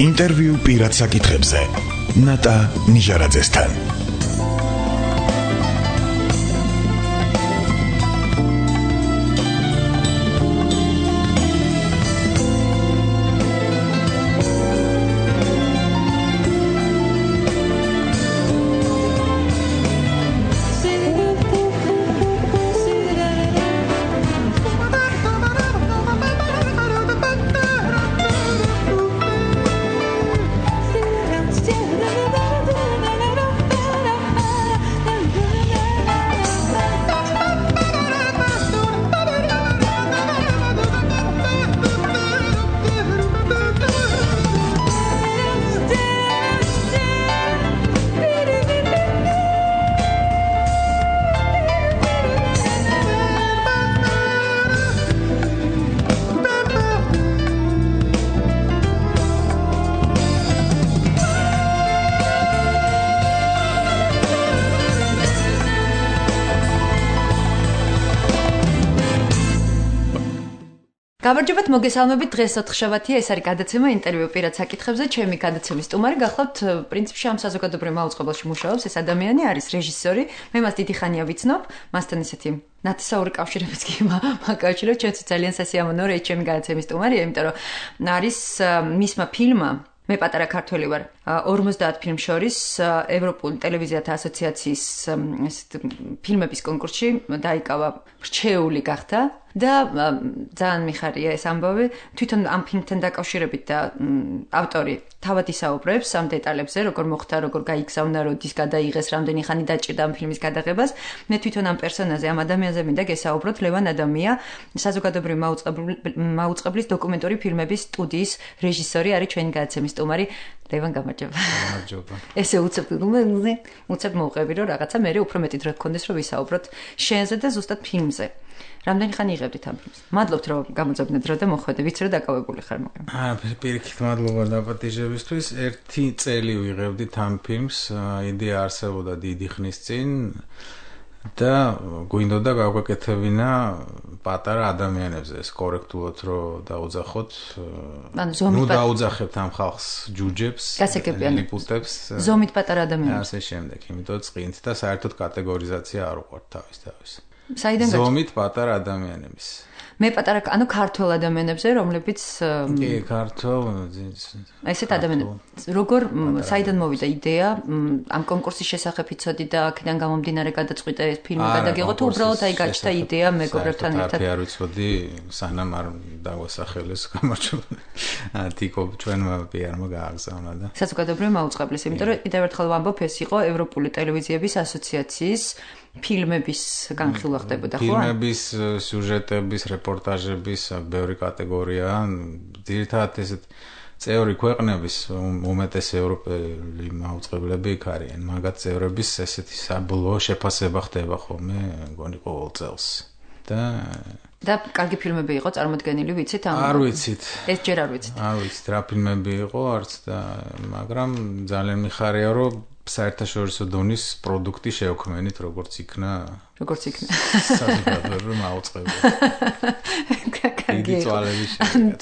ინტერვიუ პირად საკითხებზე ნატა ნიჟარაძესთან. გამარჯობათ, მოგესალმებით. დღეს 4 შაბათია, ეს არის გადაცემა ინტერვიუ პირად საკითხებზე. ჩემი გადაცემის სტუმარი გახლავთ პრინციპში ამ საზოგადოებრივ მაუწყებელში მუშაობს ეს ადამიანი, არის რეჟისორი. მე მას დიდი ხანია ვიცნობ, მასთან ისეთი ნათესაური კავშირებიც კი მაკავშირებ, ჩვენც ძალიან სასიამოვნოა, რომ ჩემი გადაცემის სტუმარია, იმიტომ რომ არის მისმა ფილმმა მე პატარა ქართველი ვარ 50 ფილმ შორის ევროპული ტელევიზიათა ასოციაციის ფილმების კონკურსში დაიკავა რჩეული გახდა და ძალიან მიხარია ეს ამბავი თვითონ ამ ფილმთან დაკავშირებით და ავტორი თავად ისაუბრებს ამ დეტალებზე როგორ მოხდა როგორ გაიგზავნა როდის გადაიღეს რამდენი ხანი დაჭირდა ამ ფილმის გადაღებას მე თვითონ ამ პერსონაჟზე ამ ადამიანზე მინდა გესაუბროთ ლევან ადამია საზოგადოებრივი მაუწყებლის დოკუმენტური ფილმების სტუდიის რეჟისორი არის ჩვენი გადაცემის სტუმარი ლევან გამარჯობა. გამარჯობა. ესე უცებ მოვყევი რომ რაღაცა მე უფრო მეტი დრო გქონდეს რომ ვისაუბროთ შენზე და ზუსტად ფილმზე. რამდენი ხანი იღებდით ამ ფილმს? მადლობთ რომ გამოძებნეთ დრო და მოხვედე. ვიცი რომ დაკავებული ხარ მაგრამ. პირიქით მადლობა დაპატიჟებისთვის. 1 წელი ვიღებდით ამ ფილმს. იდეა არსებობდა დიდი ხნის წინ და გვინდოდა გავგაკეთებინა პატარა ადამიანებზე ეს კორექტულად რომ დაუძახოთ. ნუ დაუძახებთ ამ ხალხს ჯუჯებს, ლიპუტებს. ზომით პატარა ადამიანებს. ასე შემდეგ, იმიტომ წყინთ და საერთოდ კატეგორიზაცია არ უყვართ თავის. საიდან ზომით პატარა ადამიანების. მე პატარა, ანუ ქართველ ადამიანებზე, რომლებიც კი, ქართულ ესეთ ადამიანებს. როგორ საიდან მოვიდა იდეა ამ კონკურსის შესახებ იცოდი და აქედან გამომდინარე გადაწყვიტე ეს ფილმი გადაგიღო თუ უბრალოდ აი გაჩნდა იდეა მეგობრებთან ერთად. არ ვიცოდი, სანამ არ დაგვასახელეს გამარჯობა. თიკო ჩვენმა პიარმა გააგზავნა და საზოგადოებრივი მაუწყებლის, იმიტომ რომ კიდევ ერთხელ ვამბობ, ეს იყო ევროპული ტელევიზიების ასოციაციის ფილმების განხილვა ხდებოდა, ხო? ფილმების, სიუჟეტების, რეპორტაჟების ბევრი კატეგორია, ძირითადად ესეთ წევრი ქვეყნების უმეტეს ევროპელი მაუწყებლები იქ არიან, მაგათ წევრების ესეთი საბოლოო შეფასება ხდება ხოლმე, მგონი ყოველ წელს. და კარგი ფილმები იყო წარმოდგენილი, ვიცით ამ? არ ვიცით. ეს ჯერ არ ვიცით. არ ვიცით რა ფილმები იყო, არც და მაგრამ ძალიან მიხარია, რომ საერთაშორისო დონის პროდუქტი შევქმენით, როგორც იქნა. საზოგადოებრივი მაუწყებელი. კარგი.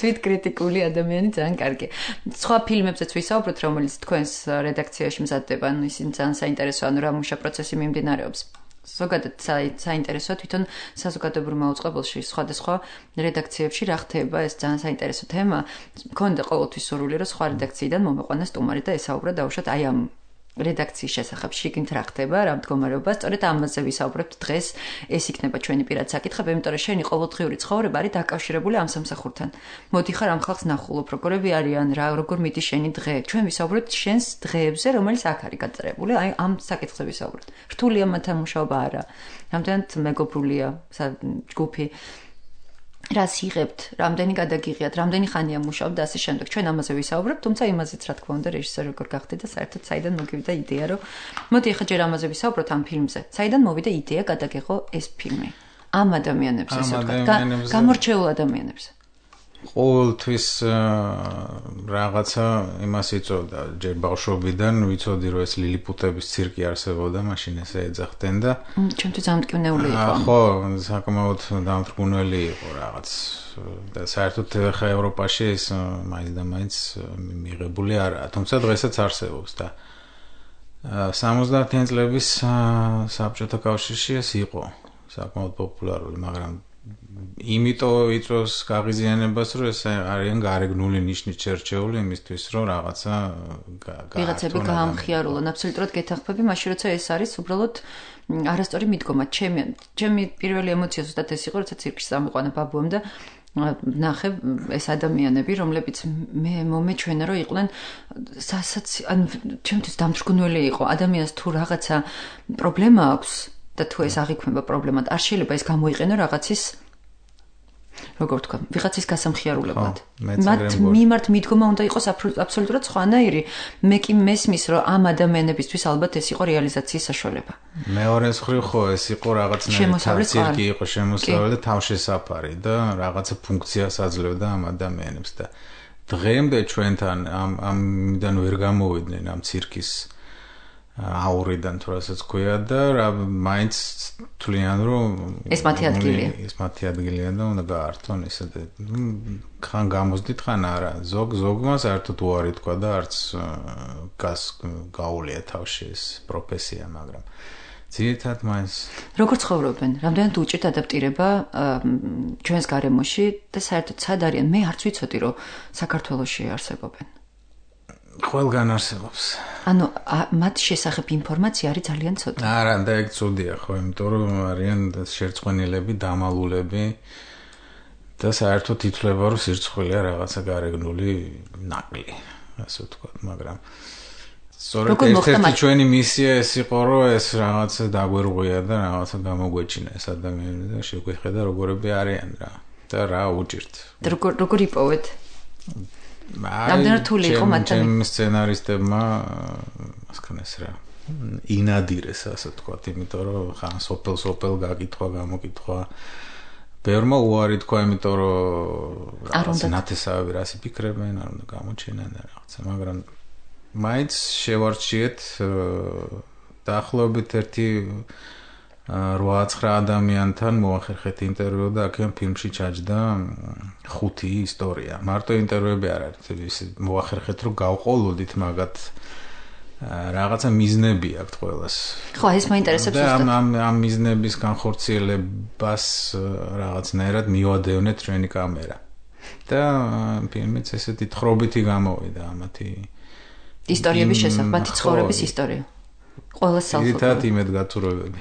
თვით კრიტიკული ადამიანი ძალიან კარგი. სხვა ფილმებზეც ვისაუბროთ, რომელიც თქვენს რედაქციაში მზადდება, ანუ ისინი ძალიან საინტერესოა, ანუ რა მუშა პროცესი მიმდინარეობს. ზოგადად საინტერესოა თვითონ საზოგადოებრივ მაუწყებელში სხვადასხვა რედაქციებში რა ხდება, ეს ძალიან საინტერესო თემა. მქონდა ყოველთვის სურვილი, რომ სხვა რედაქციიდან მომეყვანა სტუმარი და ესაუბრა დაუშვათ აი ამ რედაქციის შესახებ შიგნით რა ხდება, რა მდგომარეობა, სწორედ ამაზე ვისაუბრებთ დღეს. ეს იქნება ჩვენი პირად საკითხები, იმიტომ რომ შენი ყოველდღიური ცხოვრება არის დაკავშირებული ამ სამსახურთან. მოდიხარ ამ ხალხს ნახულობ, როგორები არიან, როგორ მიდის შენი დღე. ჩვენ ვისაუბრებთ შენს დღეებზე, რომელიც აქ არის გაწერებული, აი ამ საკითხზე ვისაუბრებთ. რთულია მათთან მუშაობა არა? რამდენად მეგობრულია ჯგუფი? რას იღებთ, რამდენი გადაგიღიათ, რამდენი ხანია მუშაობთ და ასე შემდეგ. ჩვენ ამაზე ვისაუბრებთ, თუმცა იმაზეც რა თქმა უნდა რეჟისორი როგორ გახდე და საერთოდ საიდან მოგივიდა იდეა, რომ მოდი ახლა ჯერ ამაზე ვისაუბროთ ამ ფილმზე. საიდან მოვიდა იდეა გადაგიღო ეს ფილმი? ამ ადამიანებს ასე ვთქვათ, გამორჩეულ ადამიანებს. ყოველთვის რაღაცა იმას იწოდა ჯერ ბავშვობიდან ვიცოდი რომ ეს ლილიპუტების ცირკი არსებობდა მაშინ ესე ეძახდნენ და ჩემთვის დამტკივნეული იყო ხო საკმაოდ დამტკივნელი იყო რაღაც და საერთოდ ხა ევროპაში ეს მაინც და მაინც მიღებული არაა თუმცა დღესაც არსებობს და 70-იან წლების საბჭოთა კავშირში ეს იყო საკმაოდ პოპულარული მაგრამ იმიტომ იწვევს გაღიზიანებას რომ ეს არიან გარეგნული ნიშნით შერჩეული იმისთვის რომ რაღაცა ვიღაცები გაამხიარულონ აბსოლუტურად გეთახმები მაშინ როცა ეს არის უბრალოდ არასწორი მიდგომა ჩემი პირველი ემოცია ზუსტად ეს იყო როცა ცირკში წამიყვანა ბაბუამ და ნახე ეს ადამიანები რომლებიც მე მომეჩვენა რომ იყვნენ ჩემთვის დამთრგუნველი იყო ადამიანს თუ რაღაცა პრობლემა აქვს და თუ ეს აღიქმება პრობლემად არ შეიძლება ეს გამოიყენო რაღაცის როგორ ვთქვა ვიღაცის გასამხიარულებლად მათ მიმართ მიდგომა უნდა იყოს აბსოლუტურად სხვანაირი მე კი მესმის რომ ამ ადამიანებისთვის ალბათ ეს იყო რეალიზაციის საშუალება მეორე მხრივ ხო ეს იყო რაღაცნაირი ცირკი იყო შემოსავლელი და თავშესაფარი და რაღაცა ფუნქციას აძლევდა ამ ადამიანებს და დღემდე ჩვენთან ამიდან ვერ გამოვიდნენ ამ ცირკის აურიდან თუ რასაც ქვია და მაინც თვლიან რომ ეს მათი ადგილია და უნდა გაართონ ისე ხან გამოსდით ხან არა ზოგმა საერთოდ უარი თქვა და არც გაუვლია თავში ეს პროფესია მაგრამ ძირითადად მაინც როგორ ცხოვრობენ რამდენად უჭირთ ადაპტირება ჩვენს გარემოში და საერთოდ სად არიან მე არც ვიცოდი რომ საქართველოში არსებობენ ყველგან არსებობს. ანუ მათ შესახებ ინფორმაცია არის ძალიან ცოტა. არა, და ეგ ცუდია ხო, იმიტომ რომ არიან შერწყმენილები, დამალულები და საერთოდ ითვლება რომ სირცხვილია რაღაცა გარეგნული ნაკლი, ასე ვთქვათ, მაგრამ სწორედ ეს ჩვენი მისია ეს იყო რომ ეს რაღაცა დაგვერღვია და რაღაცა გამოგვეჩინა ეს ადამიანები და შეგვეხედა როგორები არიან რა და რა უჭირთ. როგორ იპოვეთ? რამდენად თული იყო მათთან? ჩემ სცენარისტებმა ასკანეს რა ინადირეს ასე ვთქვათ, იმიტომ რომ ხან სოფელ გაკითხვა, გამოკითხვა ბევრმა უარი თქვა, იმიტომ რომ რაღაცა ნათესავები რას იფიქრებენ, არ უნდა გამოჩენენ რაღაცა, მაგრამ მაინც შევარჩიეთ დაახლოებით 8-9 ადამიანთან მოახერხეთ ინტერვიუ და აქ ფილმში ჩაჯდა 5 ისტორია. მარტო ინტერვიუები არ არის, მოახერხეთ რომ გავყოლოდით მაგათ რაღაცა მიზნები აქვს ყველას. ხო, ეს მაინტერესებს ზუსტად. და ამ მიზნების განხორციელებას რაღაცნაირად მივადევნეთ ჩვენი კამერა. და ფილმიც ესეთი თხრობითი გამოვიდა ამათი ისტორიების შესახებ, მათი ცხოვრების ისტორია. ყველას სალფო. ერთად იმედგაცრუებები.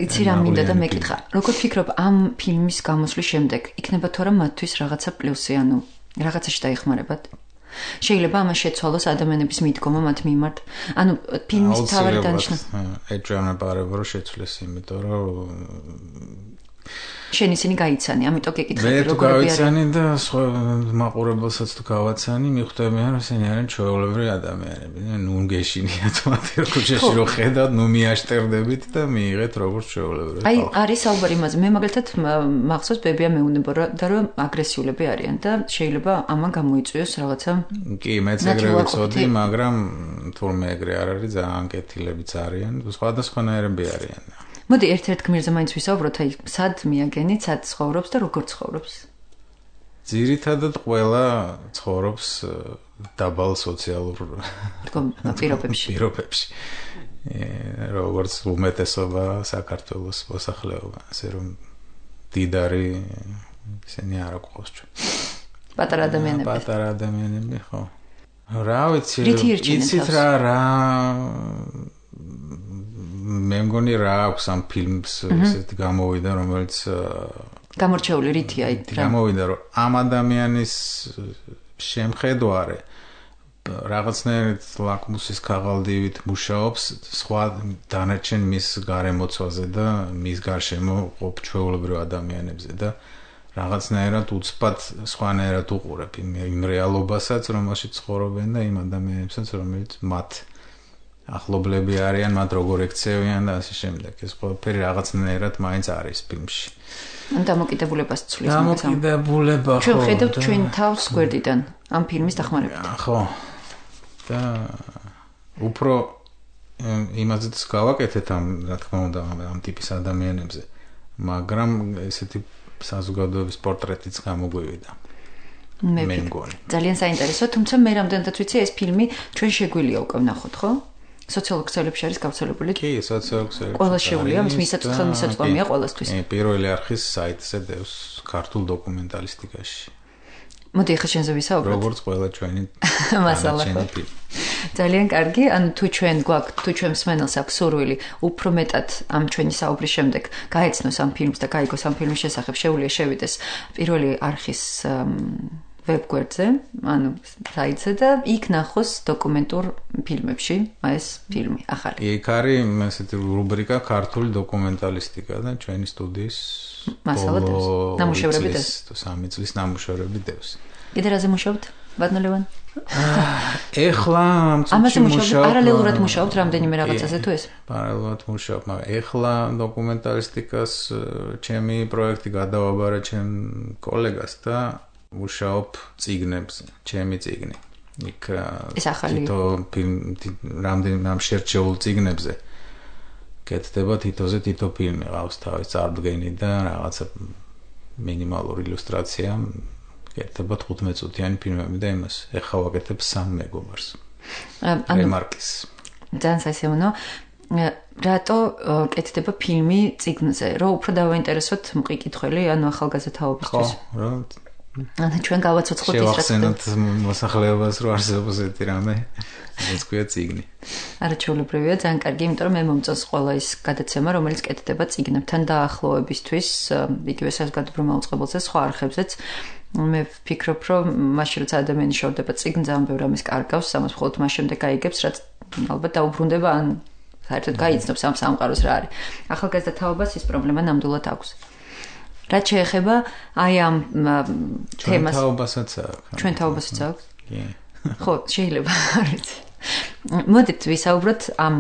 იცი რა მინდა და მეკითხა. როგორ ფიქრობ ამ ფილმის გამოსვლის შემდეგ იქნება თუ არა მათთვის რაღაცა პლუსი, ანუ რაღაცაში დაიხმარებათ? შეიძლება ამას შეცვალოს ადამიანების მიდგომა მათ მიმართ. ანუ ფილმის თავი დანიშნა. ეჭვმეპარება რომ შეცვლეს, იმიტომ რომ შენ ისინი გაიცანი, ამიტომ გეკითხები როგორ გავიცანი და სხვა მაყურებელსაც თუ გავაცანი, მიხვდებიან რომ ისინი არიან ჩვეულებრივი ადამიანები. ნუ გეშინიათ მათი ქუჩაში რომ ხედავთ, ნუ მიაშტერდებით და მიიღეთ როგორც ჩვეულებრივი. აი, არის საუბარი იმაზე. მე მაგალითად მახსოვს ბებია მეუნება და რომ აგრესიულები არიან და შეიძლება ამან გამოიწვიოს რაღაცა. კი, მეც ეგრე ვიცოდი, მაგრამ თურმე ეგრე არ არის, ძალიან კეთილებიც არიან, სხვადასხვანაირები არიან. მოდი ერთ-ერთ გმირზე მაინც ვისაუბროთ, აი, სად მიაგენით, სად ცხოვრობს და როგორ ცხოვრობს? ძირითადად ყველა ცხოვრობს დაბალ სოციალურ პირობებში. როგორც უმეტესობა საქართველოს მოსახლეობა, ასე რომ დიდარი ისინი არ აქვს ჩვენ. პატარა ადამიანები, ხო. რა ვიცი, იცით რა მე მგონი რა აქვს ამ ფილმს ესეთი გამოვიდა რომელიც გამორჩეული რითია იქ რა გამოვიდა რომ ამ ადამიანის შემხედვარე რაღაცნაირად ლაკმუსის ქაღალდივით მუშაობს სხვა დანარჩენ მის გარემოცვაზე და მის გარშემო ყოფ ჩვეულებრივ ადამიანებზე და რაღაცნაირად უცბად სხვანაირად უყურებ იმ რეალობასაც რომელშიც ცხოვრობენ და იმ ადამიანებსაც რომელიც მათ ახლობლები არიან, მათ როგორ ექცევიან და ასე შემდეგ. ეს ყველაფერი რაღაცნაირად მაინც არის ფილმში. დამოკიდებულებას ცვლის. დამოკიდებულება ხო. ჩვენ ხედავთ ჩვენ თავს გვერდიდან ამ ფილმის დახმარებით. ხო. და უფრო იმაზეც გავაკეთეთ რა თქმა უნდა ამ ტიპის ადამიანებზე. მაგრამ ესეთი საზოგადოების პორტრეტიც გამოგვივიდა. მე მგონი. ძალიან საინტერესო, თუმცა მე რამდენადაც ვიცი ეს ფილმი ჩვენ შეგვიძლია უკვე ვნახოთ, ხო? სოციალურ ქსელებში არის გავრცელებული. კი, სოციალურ ქსელებში. ყველა შეუძლია, მისაწვდომია ყველასთვის. პირველი არხის საიტზე დევს ქართულ დოკუმენტალისტიკაში. მოდი ახლა შენზე ვისაუბროთ. როგორც ყველა ჩვენი მასალა. ძალიან კარგი, ანუ თუ ჩვენ გვაქვს, თუ ჩვენ მსმენელს აქვს სურვილი, უფრო მეტად ამ ჩვენი საუბრის შემდეგ გაეცნოს ამ ფილმს და გაიგოს ამ ფილმის შესახებ, შეუძლია შევიდეს პირველი არხის ვებგვერდზე, ანუ საიტზე და იქ ნახოს დოკუმენტურ ფილმებში ეს ფილმი ახალი. იქ არის ესეთი რუბრიკა ქართული დოკუმენტალისტიკა და ჩვენი სტუდიის მასალა დევს. ნამუშევრები დევს. 3 წლის ნამუშევრები დევს. კიდე რაზე მუშაობთ? ბატონო ლევან? ეხლა ამაზე მუშაობთ, პარალელურად მუშაობთ რამდენიმე რაღაცაზე თუ ეს? პარალელურად მუშაობ, მაგრამ ეხლა დოკუმენტალისტიკას ჩემი პროექტი გადავაბარა ჩემ კოლეგას და მუშაობ წიგნებზე, ჩემი წიგნი. იქ თითო რამდენიმე შერჩეულ წიგნებზე კეთდება თითოზე თითო ფილმი, ყავს თავის წარდგენი და რაღაცა მინიმალური ილუსტრაცია. კეთდება 15 წუთიანი ფილმები და იმას ეხლა ვაკეთებ 3 მეგობარს. რემარკის. ძალიან საინტერესო. რატო კეთდება ფილმი წიგნზე? რომ უფრო დავაინტერესოთ მყიკითხველი, ანუ ახალგაზრდაობისთვის. ხო, რა ანუ ჩვენ გავაცოცხლოთ ის რაც შევახსენოთ მოსახლეობას რომ არსებობს ერთი რამე, რაც ქვია წიგნი. არა ჩვეულებრივია, ძალიან კარგი, იმიტომ რომ მე მომწონს ყველა ის გადაცემა, რომელიც კეთდება წიგნებთან დაახლოებისთვის, იგივე საზოგადოებრივ უწყებელზე, სხვა არხებზეც. მე ვფიქრობ, რომ მაშინ როცა ადამიანი შევდება წიგნს, ძალიან ბევრ რამეს კარგავს, ამას მხოლოდ მას შემდეგ გაიგებს, რაც ალბათ დაუბრუნდება, ან საერთოდ გაიცნობს ამ სამყაროს რა არის. ახალგაზრდა თაობას ის პრობლემა ნამდვილად აქვს. რაც შეეხება აი ამ თემას. ჩვენ თაობასაც აქვს. კი. ხო, შეიძლება არ ვიცი. მოდით ვისაუბროთ ამ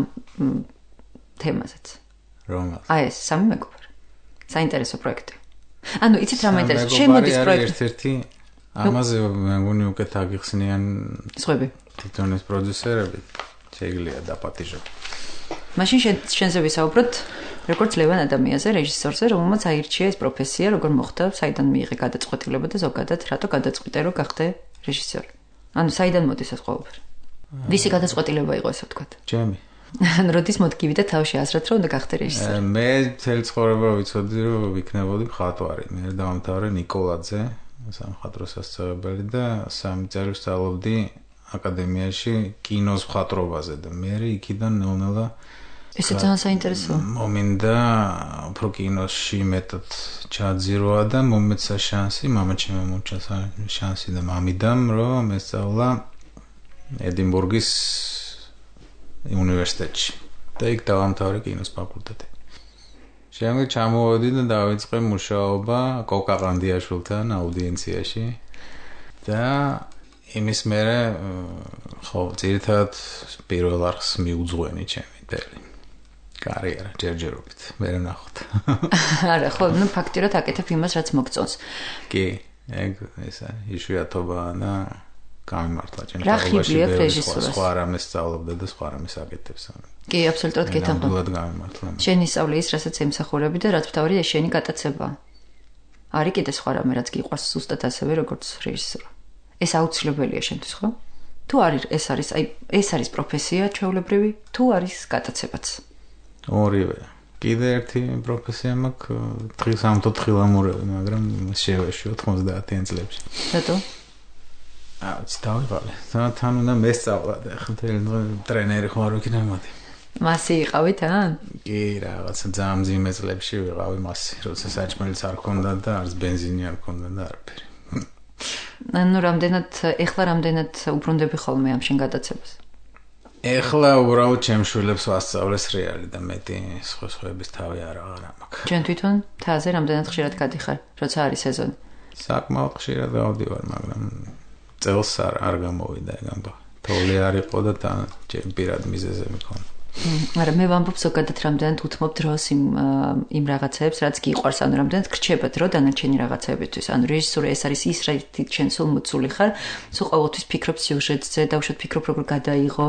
თემაზეც. რომელს? აი ეს 3 მეგობარი. საინტერესო პროექტი. ანუ იცით რა მაინტერესებს? შემოდის პროექტი. ერთ-ერთი ამაზე მე მგონი უკეთ აგიხსნიან სხვები. თვითონ ეს პროდიუსერები შეიძლება დაპატიჟოთ. მაშინ შენზე ვისაუბროთ როგორც ლევან ადამიანზე, რეჟისორზე, რომელმაც აირჩია ეს პროფესია, როგორ მოხდა, საიდან მიიღე გადაწყვეტილება და ზოგადად რატო გადაწყვიტე, რომ გახდე რეჟისორი. ანუ საიდან მოდის ეს ყველაფერი? ვისი გადაწყვეტილება იყო ესე ვთქვათ? ჩემი. ანუ როდის მოდგივიდა თავში აზრად, რომ უნდა გახდე რეჟისორი? მე მთელი ცხოვრება ვიცოდი, რომ ვიქნებოდი მხატვარი. მე დავამთავრე ნიკოლაძე, სამხატვრო სასწავლებელი და 3 წელი ვსწავლობდი აკადემიაში კინოს მხატვრობაზე და მე იქიდან ნელ-ნელა ესე ძალიან საინტერესოა. მომინდა უფრო კინოში მეტად ჩაძირვა და მომეცა შანსი, მამაჩემმა მომჩა შანსი და მამიდამ, რომ ესწავლა ედინბურგის უნივერსიტეტში და იქ დავამთავრე კინოს ფაკულტეტი. შემდეგ ჩამოვედი და დავიწყე მუშაობა კოკა ყანდიაშვილთან აუდიენციაში და იმის მერე ხო ძირითადად პირველ არხს მიუძღვენი ჩემი დელი. კარიერა ჯერჯერობით მე ნახოთ. არა, ხო, ნუ ფაქტიურად აკეთებ იმას, რაც მოგწონს. კი, ეგ ესა იშვიათობაა და გამიმართლა ჩემს თავში. სხვა რამეს სწავლობდა და სხვა რამეს აკეთებს. კი, აბსოლუტურად გეთანხმები. ნამდვილად გამიმართლა. შენი სწავლი ის, რასაც ემსახურები და რაც თავი ეს შენი გატაცებაა. არის კიდე სხვა რამე, რაც გიყვარს ზუსტად ასევე როგორც რეჟისორი. ეს აუცილებელია შენთვის, ხო? თუ არის ეს არის პროფესია ჩვეულებრივი, თუ არის გატაცებაც. ორივე. კიდე ერთი პროფესია მაქვს, დღის ამთო თხილამურები, მაგრამ შევეში 90-იან წლებში. რატო? აუც დავიღალე. თან უნდა მესწავლა და ახლა ტრენერი ხარ ვიქნა მოდი. მასი იყავით, ან? კი, რაღაცა ძალიან მძიმე წლებში ვიყავი მასი, როცა საჭმელიც არ ქონდა და არც ბენზინი არ ქონდა და არაფერი. ანუ ეხლა რამდენად უბრუნდები ხოლმე ამ შენ გადაცებას? ეხლა უბრალოდ ჩემ შვილებს ვასწავლეს რეალი და მეტი სხვების თავი აღარ მაქვს. ჩვენ თვითონ თაზე რამდენად ხშირად გადიხარ, როცა არის სეზონი? საკმაოდ ხშირად გავდივარ, მაგრამ წელს არ გამოვიდა ეგ ამბავი. თოვლი არ იყო და ჩემ პირად მიზეზები მქონდა. მაგრამ მე ვამბობ ზოგადად რამდენად უთმობ დროს იმ რაღაცებს, რაც გიყვარს, ანუ რამდენად გრჩება დრო დანარჩენი რაღაცებისთვის. ანუ რეჟისურა ეს არის ის რაით შენ სულ მოცული ხარ, სულ ყოველთვის ფიქრობ სიუჟეტზე, დაუშვათ ფიქრობ როგორ გადაიღო,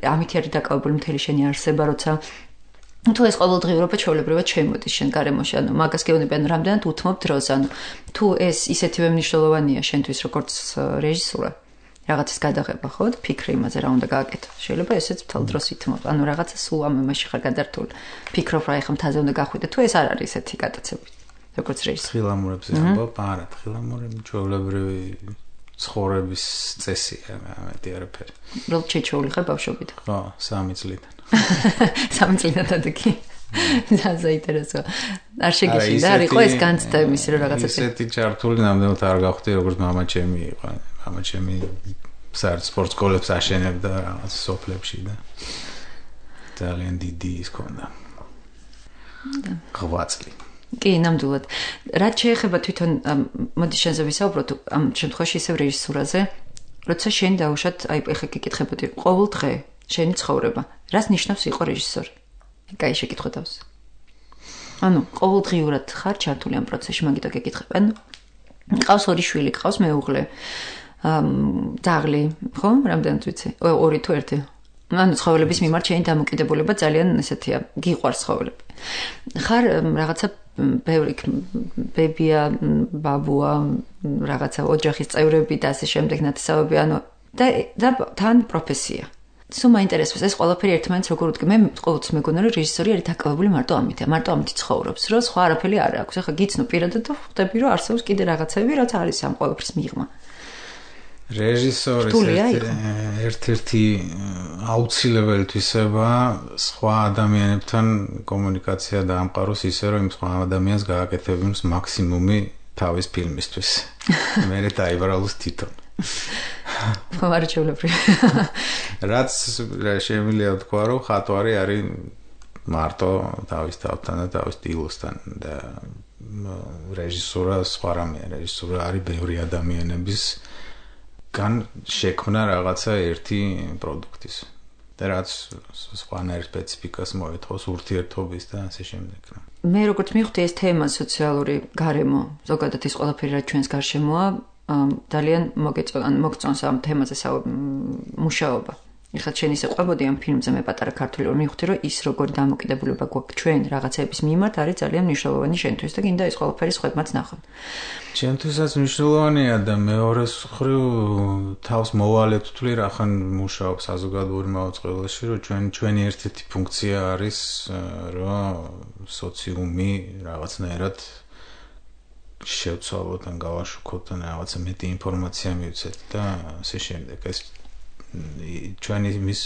ამითი არის დაკავებული მთელი შენი არსება, როცა თუ ეს ყოველდღიურობა ჩვეულებრივად შემოდის შენ გარემოში, ანუ მაგას გეუბნები, ანუ რამდენად უთმობ დროს, ანუ თუ ეს ისეთივე მნიშვნელოვანია შენთვის როგორც რეჟისურა, რაღაცის გადაღება, ხო? ფიქრი იმაზე რა უნდა გააკეთო. შეიძლება ესეც მთელ დროს ითმობ. ანუ რაღაცა სულ ამ იმაში ხარ გადართული. ფიქრობ რა ეხა მთაზე უნდა გახვიდე, თუ ეს არ არის ესეთი გატაცები. როგორც რეჟისორი. თხილამურებზე ამბობ, არა, თხილამურები ჩვეულებრივი ცხოვრების წესია, ამეთი არაფერი. რომ ჩეჩეული ხარ ბავშვობიდან. ხო, 3 წლიდან. 3 წლიდან დადგი. საინტერესოა. არ შეგიშინდა, არ იყო ეს განცდა იმის რომ რაღაცა ესეთი ჩართული ნამდვილად არ გავხდი, როგორც მამა ჩემი იყო. მამა ჩემი სპორტ სკოლებს აშენებდა რაღაც სოფლებში და ძალიან დიდი ის ქონდა. 8 წელი. კი, ნამდვილად. რაც შეეხება თვითონ მოდი შენზე ვისაუბროთ ამ შემთხვევაში ისევ რეჟისურაზე, როცა შენ დაუშვათ, აი ეხა გიკითხებოდი, ყოველ დღე შენი ცხოვრება, რას ნიშნავს იყო რეჟისორი? კაი შეკითხვა თავს. ანუ ყოველდღიურად ხარ ჩართული ამ პროცესში, მაგითო გეკითხებ. ანუ ყავს 2 შვილი, ყავს მეუღლე. დაღლი, ხო? რამდენად ვიცი? 2 თუ 1? ანუ ცხოველების მიმართ შენი დამოკიდებულება ძალიან ესეთია, გიყვარს ცხოველები. ხარ რაღაცა ბევრი ბებია, ბაბუა, რაღაცა ოჯახის წევრები და ასე შემდეგ ნათესავები, ანუ და თან პროფესია. სულ მაინტერესებს ეს ყველაფერი ერთმანეთს როგორ უთქი. მე ყოველთვის მეგონა რომ რეჟისორი არის დაკავებული მარტო ამითი, მარტო ამითი ცხოვრობს, რომ სხვა არაფერი არ აქვს. ახლა გიცნო პირადად და ხვდები რომ არსებობს კიდე რაღაცები, რაც არის ამ ყველაფრის მიღმა. რეჟისორის ერთ-ერთი აუცილებელი თვისება სხვა ადამიანებთან კომუნიკაცია დაამყაროს ისე, რომ იმ სხვა ადამიანს გააკეთებინოს მაქსიმუმი თავის ფილმისთვის. მე დაიბრალოს თვითონ. მარჩევლები. რაც შემიძლია თქვა, რომ ხატვარი არის მარტო თავის თავთან და თავის სტილოსთან და რეჟისურა სხვა რამეა. რეჟისურა არის ბევრი ადამიანების გან შექმნა რაღაცა ერთი პროდუქტის. და რაც სხვანაირ სპეციფიკას მოეთხოვს ურთიერთობის და ასე შემდეგ. მე როგორც მივხვდი ეს თემა სოციალური გარემო, ზოგადად ის ყველაფერი რაც ჩვენს გარშემოა, ძალიან მოგწონს ამ თემაზე მუშაობა. ეხლა შენ ისე ყვებოდი ამ ფილმზე მე პატარა ქართული რომ მივხვდი რომ ის როგორი დამოკიდებულება გვაქვს ჩვენ რაღაცების მიმართ არის ძალიან მნიშვნელოვანი შენთვის და გინდა ეს ყველაფერი სხვებმაც ნახონ. ჩემთვისაც მნიშვნელოვანია და მეორე მხრივ თავს მოვალეთ ვთვლი რახან მუშაობ საზოგადოებრივ მაუწყებელში რომ ჩვენი ერთ-ერთი ფუნქცია არის რომ სოციუმი რაღაცნაირად შევცვალოთ ან გავაშუქოთ ან რაღაცა მეტი ინფორმაცია მივცეთ და ასე შემდეგ. ეს ჩვენი მის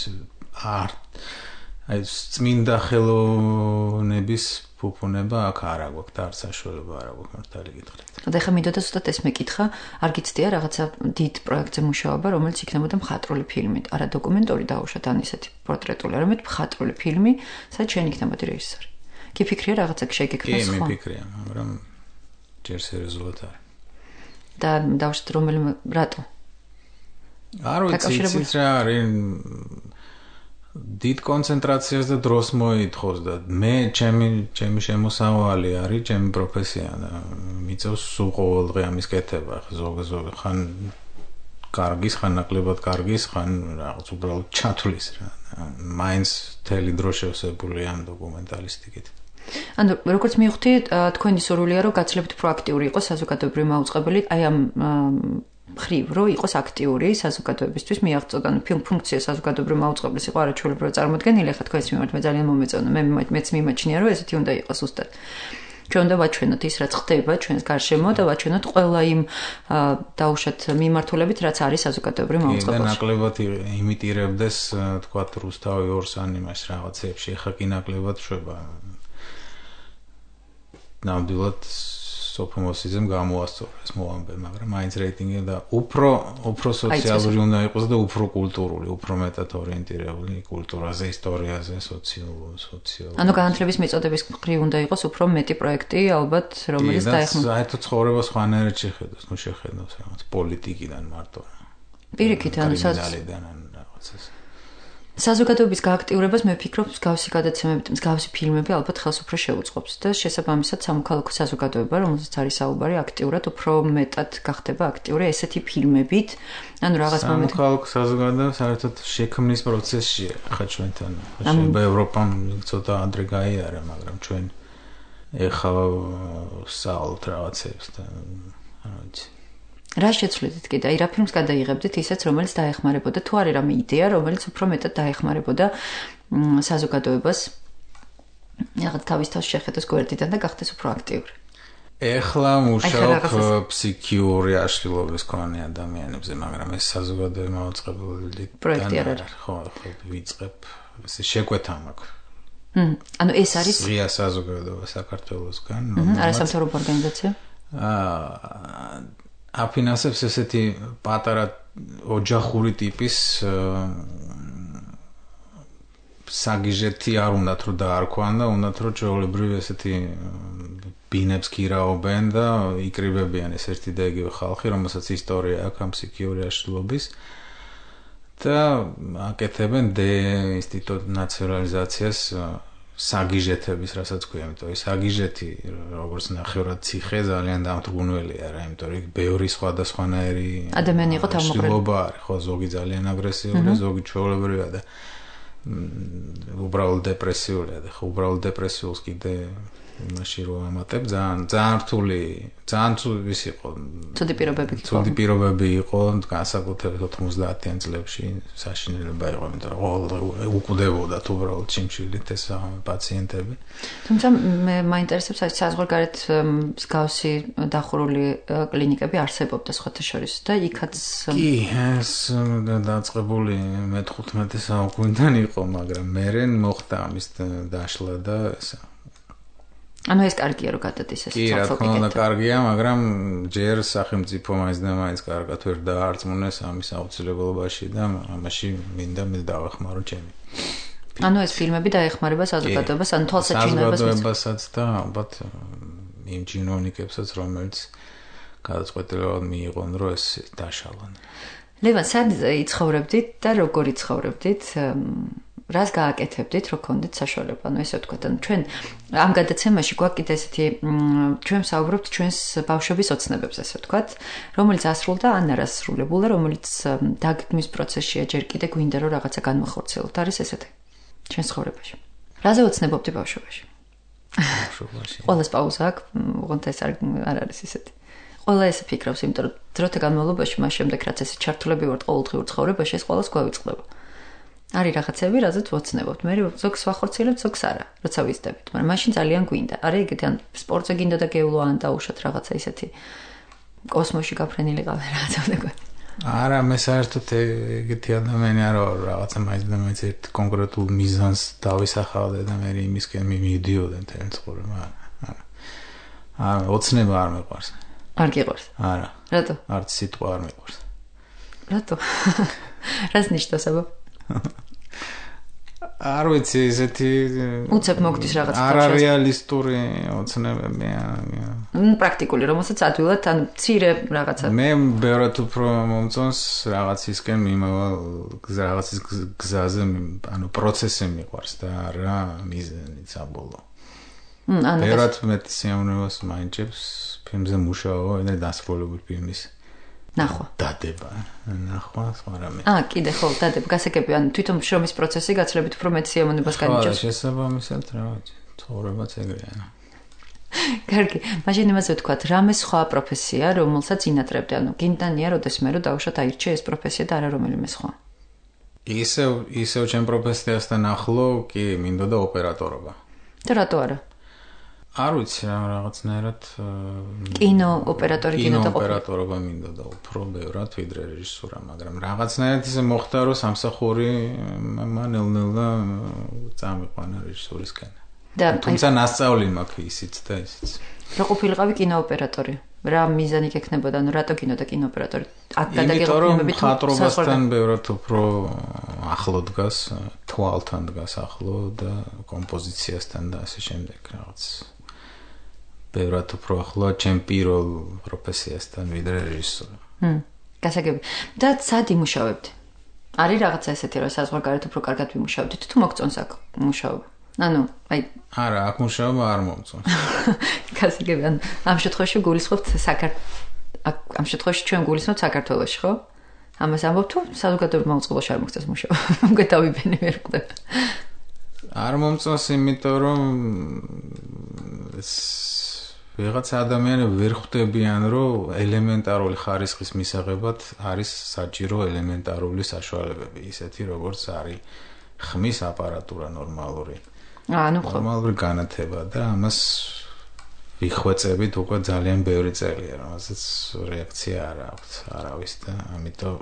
აი წმინდა ხელოვნების ფუფუნება აქ არ აგვაქვს და არც საშუალება არ აგვაქვს მართალი გითხრათ. და ეხლა მინდოდა ზუსტად ეს მეკითხა, არ გიცდია რაღაცა დიდ პროექტზე მუშაობა, რომელიც იქნებოდა მხატვრული ფილმი, არა დოკუმენტური დაუშვათ ან ისეთი პორტრეტული, არამედ მხატვრული ფილმი, სადაც შენ იქნებოდი რეჟისორი. კი ფიქრია რაღაცა შეგექმნას ხო? კი, მე ფიქრია, მაგრამ ჯერ სერიოზულად არის. და დაუშვათ რომელიმე რატო? არ ვიცი, ის რა არის დიდ კონცენტრაციას და დროს მოითხოვს და მე ჩემი შემოსავალი არის ჩემი პროფესია და მიწევს სულ ყოველ დღე ამის კეთება. ზოგადად ხან კარგის, ხან ნაკლებად კარგის, ხან რაღაც უბრალოდ ჩათვლის რა. მაინც თელი დრო შევსებული ამ დოკუმენტალისტიკით. ანუ როგორც მივხვდი, თქვენი სურვილია რომ გაცილებით პროაქტიული იყოს საზოგადოებრივი მაუწყებელი, აი ამ ხრივ რომ იყოს აქტიური საზოგადოებისთვის მიაღწევდა. ანუ ფუნქცია საზოგადოებრივი მაუწყებლის იყო არაჩვეულებრივად წარმოდგენილი. ახლა თქვენს მიმართ მე ძალიან მომეწონა. მეც მიმაჩნია რომ ესეთი უნდა იყოს ზუსტად. ჩვენ უნდა ვაჩვენოთ ის რაც ხდება ჩვენს გარშემო და ვაჩვენოთ ყველა იმ დაუშვათ მიმართულებით რაც არის საზოგადოებრივი მაუწყებელში. და ნაკლებად იმიტირებდეს თქვათ რუსთავი ორს ან იმას რაღაცებში. ახლა კი ნაკლებად შვება. ნამდვილად სოფომოსიზმ გამოასწორეს მოვამბე, მაგრამ მაინც რეიტინგი და უფრო სოციალური უნდა იყოს და უფრო კულტურული, უფრო მეტად ორიენტირებული კულტურაზე, ისტორიაზე, სოციალურ. ანუ განათლების მიწოდების მხრივ უნდა იყოს უფრო მეტი პროექტი, ალბათ, რომელიც დაეხმარება. საერთოდ ცხოვრება სხვანაირად შეხედოს, შეხედოს რაღაც პოლიტიკიდან მარტო. პირიქით, ანუ რაღაცას. საზოგადოების გააქტიურებას მე ვფიქრობ, მსგავსი გადაცემები, მსგავსი ფილმები ალბათ ხელს უფრო შეუწყობს და შესაბამისად სამოქალაქო საზოგადოება, რომელზეც არის საუბარი, აქტიურად უფრო მეტად გახდება აქტიური ესეთი ფილმებით. ანუ რაღაც მომენტ სამოქალაქო საზოგადოება საერთოდ შექმნის პროცესშია ხა ჩვენთან. შეიძლება ევროპამ ცოტა ადრე გაიარა, მაგრამ ჩვენ ეხლა საალთ რაღაცებს და რა ვიცი. რა შეცვლით კიდე? აი რა ფილმს გადაიღებდით ისეც, რომელიც დაეხმარებოდა თუ არის რამე იდეა, რომელიც უფრო მეტად დაეხმარებოდა საზოგადოებას. რაღაც თავის თავს შეხედოს გვერდიდან და გახდეს უფრო აქტიური. ეხლა მუშაობ ფსიქიური აშლილობის მქონე ადამიანებზე, მაგრამ ეს საზოგადოება მოწყებული პროექტი არ არის. ხო, ვიწყებ, ესე შეკვეთა მაქვს. ანუ ეს არის ღია საზოგადოება საქართველოსგან, არასამთავრობო ორგანიზაცია? აფინანსებს ესეთი პატარა ოჯახური ტიპის საგიჟეთი არ უნდათ რომ დაარქვან და უნდათ რომ ჩვეულებრივ ესეთი ბინებს გირაობენ და იკრიბებიან ეს ერთი და იგივე ხალხი, რომელსაც ისტორია აქვს ამ ფსიქიური აშლილობის და აკეთებენ დეინსტიტუციონალიზაციას საგიჟეთების, რასაც ქვია, იმიტომ ის საგიჟეთი, როგორც ნახევრად ციხე, ძალიან დამთრგუნველია რა, იმიტომ რომ ბევრი სხვადასხვანაირი ადამიანი იყო თავმოყრილი. ხო, ზოგი ძალიან აგრესიულია, ზოგი ჩვეულებრივია და უბრალოდ депрессиულია და ხო, უბრალოდ депрессиულს კიდე იმაში რომ ამატებ, ძალიან რთული, ძალიან ის იყო. ცუდი პირობები იყო, განსაკუთრებით 90-იან წლებში საშინელება იყო, იმიტომ რომ უკვდებოდა უბრალოდ ჩიმჩილით ეს პაციენტები. თუმცა მე მაინტერესებს აი საზღვარგარეთ მსგავსი დახურული კლინიკები არსებობდა სხვათა შორის და იქაც კი, ეს დაწყებული მე-15 საუკუნიდან იყო, მაგრამ მერე მოხდა ამის დაშლა და ესა ანუ ეს კარგია რომ გადადის ეს კი, რა თქმა უნდა კარგია, მაგრამ ჯერ სახელმწიფო მაინც და მაინც კარგად ვერ დაარწმუნეს ამის აუცილებლობაში და ამაში მინდა მე დავეხმარო ჩემი. ანუ ეს ფილმები დაეხმარება საზოგადოებას, ანუ თვალსაჩინოებას საზოგადოებასაც და ალბათ იმ ჩინოვნიკებსაც, რომელიც გადაწყვეტილებად მიიღონ, რომ ეს დაშალონ. ლევან, სად იცხოვრებდით და როგორ იცხოვრებდით? რას გააკეთებდით, რომ გქონდეთ საშუალება? ანუ ესე ვთქვათ, ანუ ჩვენ ამ გადაცემაში გვაქვს კიდე ესეთი ჩვენ ვსაუბრობთ ჩვენს ბავშვობის ოცნებებზე, ესე ვთქვათ, რომელიც ასრულდა ან არ ასრულებულა, რომელიც დაგდმის პროცესშია, ჯერ კიდე გვინდა რომ რაღაცა განმახორციელოთ. არის ესეთი ჩვენ ცხოვრებაში. რაზე ოცნებობდი ბავშვობაში? ბავშვობაში. ყველას პაუზა აქვს, უღონთ ეს არ არის ესეთი. ყველა ესე ფიქრობს, იმიტომ რომ დროთა განმავლობაში მას შემდეგ რაც ესე ჩართულები ვართ ყოველდღიურ ცხოვრებაში, ეს ყველას გვავიწყდება. არის რაღაცები, რაზეც ვოცნებობთ. მე ზოგს ვახორციელებთ, ზოგს არა, როცა ვიზდებით, მაგრამ მაშინ ძალიან გვინდა. არის ეგეთი ან სპორტზე გინდა და გეულო ან დაუშვათ რაღაცა ისეთი კოსმოსში გაფრენილი ყავი რაღაცა ვთქვი. არა, მე საერთოდ ეგეთი ადამიანი არ ვარ, რაღაცა მაინც და მაინც ერთ კონკრეტულ მიზანს დავისახავდე და მე იმისკენ მივიდიოდი მთელი ცხოვრება. არა, ოცნება არ მეყვარს. არ გიყვარს? არა. რატო? არც სიტყვა არ მეყვარს. რატო? რას ნიშნავს აბა? არ ვიცი, ესეთი უცებ მოგდის რაღაც არარეალისტური ოცნებებია. პრაქტიკული, რომელსაც ადვილად ან მცირე რაღაცა. მე ბევრად უფრო მომწონს რაღაცისკენ მიმავალ რაღაცის გზაზე, ანუ პროცესი მიყვარს და არა მიზანი საბოლოო. ბევრად მეტი სიამოვნებას მაინჭებს ფილმზე მუშაობა და დასრულებული ფილმის ნახვა. დადება, ნახვა, სხვა რამე. კიდე ხო, დადება, გასაგები, ან თვითონ შრომის პროცესი გაცლებით უფრო მეტ სიამოვნებას განიჭებს. ხო, შესაბამისად, რა ვიცი, ცხოვრებაც ეგრეა. კარგი, მაშინ იმაზე ვთქვათ, რამე სხვა პროფესია, რომელსაც ინატრებდი, ანუ გინდანია, როდესმე რომ დავუშვათ აირჩიე ეს პროფესია და არა რომელიმე სხვა. ისევ ჩემ პროფესიასთან ახლო, კი, მინდოდა ოპერატორობა. და რატო არა? არ ვიცი, რაღაცნაირად კინოოპერატორი გინდა ყოფილი. კინოოპერატორობა მინდოდა უფრო ბევრად ვიდრე რეჟისურა, მაგრამ რაღაცნაირად ისე მოხდა, რომ სამსახური მანელ-ნელა წამიყვანა რეჟისურისკენ. თუმცა ნასწავლი მაქვს ისიც და ისიც. რა ყოფილიყავი კინოოპერატორი? რა მიზანი გექნებოდა, ანუ რატო კინო და კინოოპერატორი? აქ გადაგიღო ფილმები თუ ხატრობასთან ბევრად უფრო ახლო დგას, თვალთან დგას ახლო და კომპოზიციასთან და ასე შემდეგ რაღაც. ბევრად უფრო ახლო ჩემ პირველ პროფესიასთან ვიდრე რეჟისორ. გასაგები. და სად იმუშავებდი? არის რაღაცა ესეთი, რომ საზღვარგარეთ უფრო კარგად ვიმუშავდით, თუ მოგწონს აქ მუშაობა? ანუ, აი, არა, აქ მუშაობა არ მომწონს. გასაგები, ამ შემთხვევაში გულისხმობთ ამ შემთხვევაში ჩვენ გულისხმობთ საქართველოში, ხო? ამას ამბობ თუ საზოგადოებრივ მოწყობილობაში არ მოგწონს მუშაობა. უკვე დავიბენე ვერ ხდება. არ მომწონს, იმიტომ რომ ვიღაც ადამიანები ვერ ხვდებიან, რომ ელემენტარული ხარისხის მისაღებად არის საჭირო ელემენტარული საშუალებები, ისეთი როგორც არის ხმის აპარატურა ნორმალური. ნორმალური განათება და ამას ვიხვეწებით უკვე ძალიან ბევრი წელია, რომელსაც რეაქცია არ აქვს არავის და ამიტომ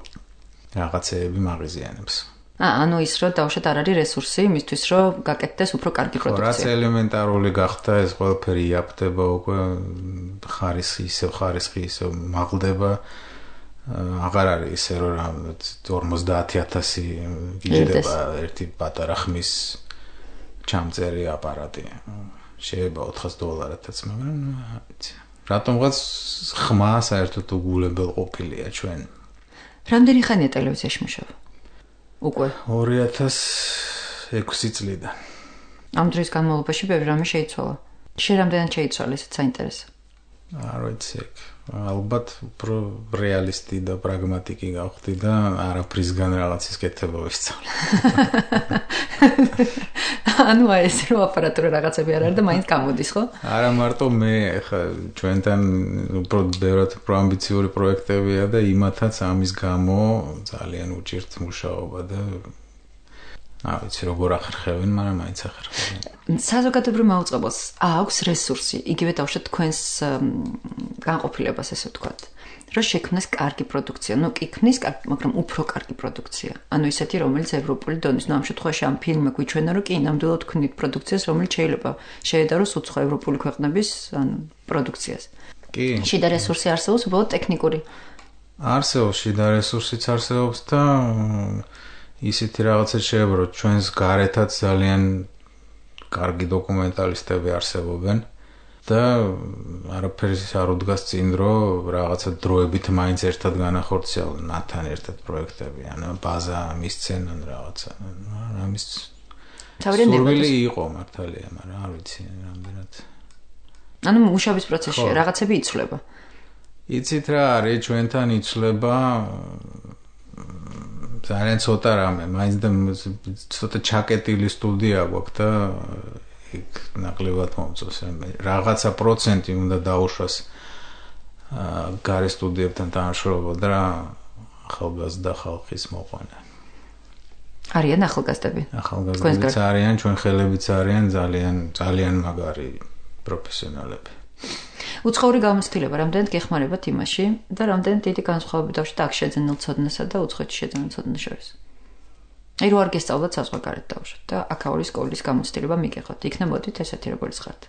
რაღაცეები მაღიზიანებს. ანუ ის რომ დავუშვათ არ არის რესურსი იმისთვის რომ გაკეთდეს უფრო კარგი პროდუქცია. რაც ელემენტარული გახდა ეს ყველაფერი იაფდება უკვე ხარისხი ისევ მაღლდება აღარ არის ისე რომ 50,000 გიждდება ერთი პატარა ხმის ჩამწერი აპარატი. შეიძლება $400-აც, მაგრამ რატომღაც ხმა საერთოდ უგულებელ ყოფილია ჩვენ. რამდენი ხანია ტელევიზიაში მუშაობა? უკვე 2006 წლიდან. ამ დროის განმავლობაში ბევრი რამე შეიცვალა. შენ რამდენად შეიცვალა, ესეც საინტერესო. არ ვიცი, ალბათ უფრო რეალისტი და პრაგმატიკი გავხდი და არაფრისგან რაღაცის კეთება ვისწავლე. ანუ ეს რო აპარატურა რაღაცები არ არის და მაინც გამოდის, ხო? არა მარტო მე, ხა ჩვენთან უფრო ბევრად უფრო ამბიციური პროექტებია და იმათაც ამის გამო ძალიან უჭირთ მუშაობა და არ ვიცი როგორ ახერხებენ, მაგრამ მაინც ახერხებენ. საზოგადოებრივ მაუწყებელს აქვს რესურსი, იგივე დავუშვათ თქვენს განყოფილებას, ესე ვთქვათ, რომ შექმნას კარგი პროდუქცია, ну კი ქმნის, მაგრამ უფრო კარგი პროდუქცია. ანუ ისეთი, რომელიც ევროპული დონის, ну ამ შემთხვევაში ამ ფილმი გვიჩვენა, რომ კი ნამდვილად ქმნით პროდუქციას, რომელიც შეიძლება შეედაროს უცხო ევროპული ქვეყნების პროდუქციას. კი. შიდა რესურსი არსებობს, უბრალოდ ტექნიკური. არსებობს შიდა რესურსიც არსებობს და ისეთი რაღაცა შეიძლება რომ ჩვენს გარეთაც ძალიან კარგი დოკუმენტალისტები არსებობენ და არაფერი არ უდგას წინ რომ რაღაცა დროებით მაინც ერთად განახორციელონ ნათან ერთად პროექტები ან ბაზა მისცენ ან რაღაცა ამის სურვილი იყო მართალია მაგრამ არ ვიცი რამდენად ანუ მუშაობის პროცესში რაღაცები იცვლება იცით რა არის ჩვენთან იცვლება ძალიან ცოტა რამე, მაინც და ცოტა ჩაკეტილი სტუდია გვაქვს და იქ ნაკლებად მომწონს. რაღაცა პროცენტი უნდა დაუშვას გარე სტუდიებთან თანამშრომლობა და ახალგაზრდა ხალხის მოყვანა. არიან ახალგაზრდები? ახალგაზრდებიც არიან, ჩვენ ხელებიც არიან ძალიან მაგარი პროფესიონალები. უცხოური გამოცდილება რამდენად გეხმარებათ იმაში და რამდენად დიდი განსხვავება დავშოთ აქ შეძენილ ცოდნასა და უცხოეთში შეძენილ ცოდნას შორის. აი რო არ გესწავლოთ საზღვარგარეთ დავშოთ და აქაური სკოლის გამოცდილება მიგეხოთ. იქნა მოდით ესეთი როგორც ხართ.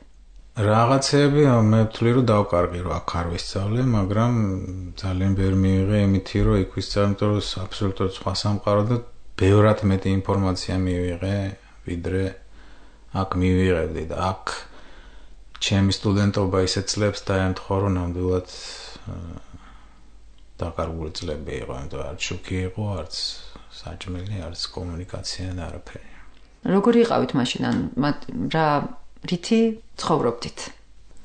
რაღაცეები მე ვთვლი რომ დავკარგი რომ აქ არ ვისწავლე, მაგრამ ძალიან ბევრი მივიღე იმითი რომ იქ ვისწავლე, იმიტომ რომ აბსოლუტურად სხვა სამყარო და ბევრად მეტი ინფორმაცია მივიღე, ვიდრე აქ მივიღებდი და აქ ჩემი სტუდენტობა ისეთ წლებს დაემთხვა, რომ ნამდვილად დაკარგული წლები იყო, ანუ არც შოქი იყო, არც საჭმელი, არც კომუნიკაცია და არაფერი. როგორი იყავით მაშინ? რა რითი ცხოვრობდით?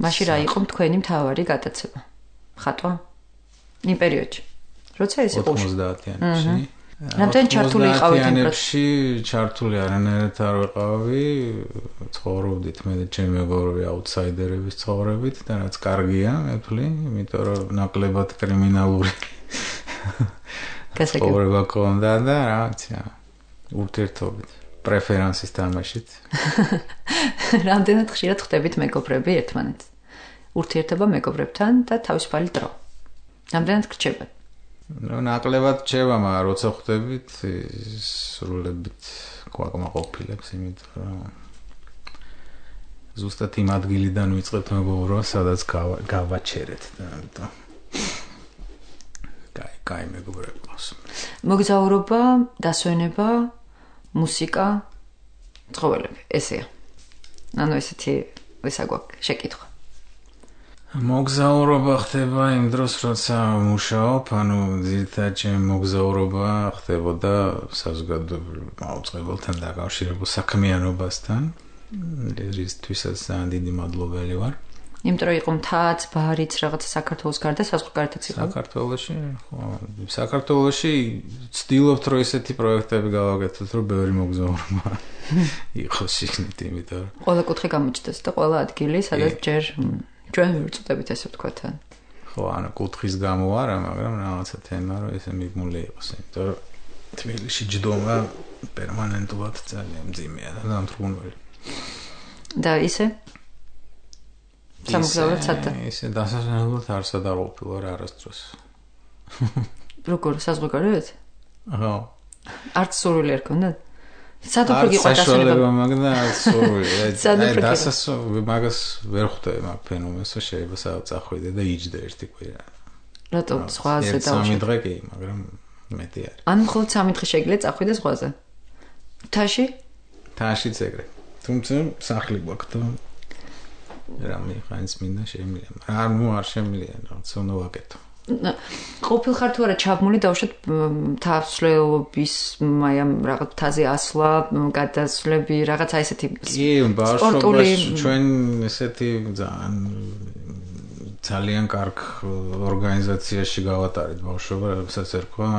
მაშინ რა იყო თქვენი მთავარი გატაცება? ხატვა? იმ პერიოდში. როცა ეს იყო 90-იანებში. რამდენი ჩართული იყავით იმ პროცესში? ჩართული არანაირად არ ვიყავი, ცხოვრობდით მე და ჩემი მეგობრები აუთსაიდერების ცხოვრებით და რაც კარგია, მე ვთვლი, იმიტომ რომ ნაკლებად კრიმინალური ცხოვრება ქონდა და რაღაცა ურთიერთობით, პრეფერენსის თამაშით. რამდენად ხშირად ხვდებით მეგობრები ერთმანეთს? ურთიერთობა მეგობრებთან და თავისუფალი დრო. რამდენად გრჩებათ? ნაკლებად რჩება, მაგრამ როცა ხვდებით, სრულებით გვაკმაყოფილებს, იმიტომ რომ ზუსტად იმ ადგილიდან ვიწყებთ მეგობრობა, სადაც გავაჩერეთ და ამიტომ კაი მეგობრები ყავს. მოგზაურობა, დასვენება, მუსიკა, ცხოველები, ესეა. ანუ ესეთი ესა გვაქვს შეკითხვა. მოგზაურობა ხდება იმ დროს, როცა მუშაობ, ანუ ძირითადად ჩემი მოგზაურობა ხდებოდა საზოგადოებრივ მაუწყებელთან დაკავშირებულ საქმიანობასთან. რისთვისაც ძალიან დიდი მადლობელი ვარ. იმიტომ რომ იყო მთაც, ბარიც, რაღაცა საქართველოს გარდა საზღვარგარეთაც იყო. საქართველოში ცდილობთ რომ ესეთი პროექტები გავაკეთოთ, რომ ბევრი მოგზაურობა იყოს შიგნით, იმიტომ რომ ყველა კუთხე გამოჩნდეს და ყველა ადგილი, სადაც ჯერ ჩვენ ვირწმუნდებით ესე ვთქვათ. ხო, ანუ კუთხის გამო არა, მაგრამ რაღაცა თემა რომ ესე მიგმული იყოს, იმიტომ რომ თბილისში ჯდომა პერმანენტულად ძალიან მძიმეა და დამთრგუნველი. და ისე სამგზავროდ სადა. ისე დასასვენებლად არ სადაღუპილ ვარ არასდროს. როგორ საზღვარგარეთ? ხო. არც სურვილი არ ქონდათ? სად უფრო გიყვარდა საშუალება მაგდა არც სურვილი. მაგას ვერ ხვდები მაგ ფენომენს, რომ შეიძლება სადაც წახვიდე და იჯდე ერთი კვირა. რატო ზღვაზე დავუშვი? 3 დღე კი, მაგრამ მეტი არის. ან მხოლოდ 3 დღე შეგიძლია წახვიდე ზღვაზე? თაში? თაშიც ეგრე. თუმცა სახლი გვაქვს და რამე ხანს მინდა შემიძლია. არ შემიძლია, რაღაც უნდა ვაკეთო. ყოფილ ხარ თუ არა ჩაბმული დავუშვათ თავსვლელობის აი ამ რაღაც თაზე ასვლა, გადასვლები, რაღაცა ესეთი სპორტული ჩვენ ესეთი ძალიან კარგ ორგანიზაციაში გავატარეთ ბავშვობა, რასაც ერქვა